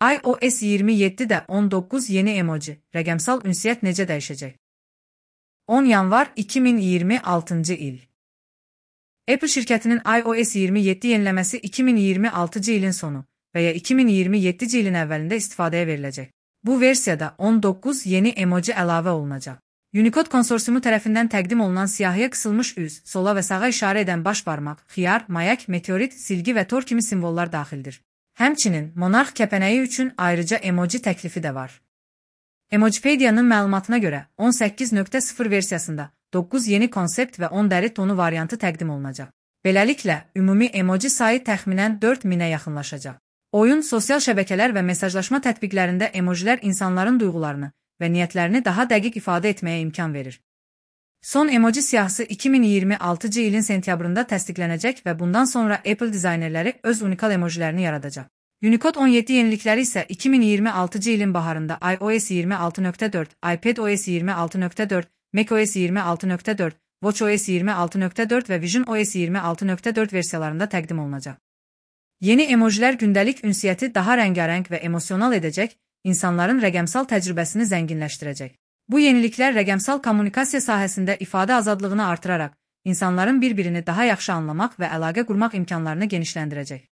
iOS 27'də 19 yeni emoji, rəqəmsal ünsiyyət necə dəyişəcək? 10 yanvar 2026-cı il. Apple şirkətinin iOS 27 yeniləməsi 2026-cı ilin sonu və ya 2027-ci ilin əvvəlində istifadəyə veriləcək. Bu versiyada 19 yeni emoji əlavə olunacaq. Unicode konsorsiumu tərəfindən təqdim olunan siyahıya qısılmış üz, sola və sağa işarə edən baş barmaq, xiyar, mayak, meteorit, silgi və tor kimi simvollar daxildir. Həmçinin, monarx kəpənəyi üçün ayrıca emoji təklifi də var. Emojipedia'nın məlumatına görə 18.0 versiyasında 9 yeni konsept və 10 dəri tonu variantı təqdim olunacaq. Beləliklə, ümumi emoji sayı təxminən 4000-ə yaxınlaşacaq. Oyun, sosial şəbəkələr və mesajlaşma tətbiqlərində emojilər insanların duyğularını və niyyətlərini daha dəqiq ifadə etməyə imkan verir. Son emoji siyahısı 2026-cı ilin sentyabrında təsdiqlənəcək və bundan sonra Apple dizaynerləri öz unikal emojilərini yaradacaq. Unicode 17 yenilikləri isə 2026-cı ilin baharında iOS 26.4, iPadOS 26.4, macOS 26.4, watchOS 26.4 və visionOS 26.4 versiyalarında təqdim olunacaq. Yeni emojilər gündəlik ünsiyyəti daha rəngarəng və emosional edəcək, insanların rəqəmsal təcrübəsini zənginləşdirəcək. Bu yeniliklər rəqəmsal kommunikasiya sahəsində ifadə azadlığını artıraraq, insanların bir-birini daha yaxşı anlamaq və əlaqə qurmaq imkanlarını genişləndirəcək.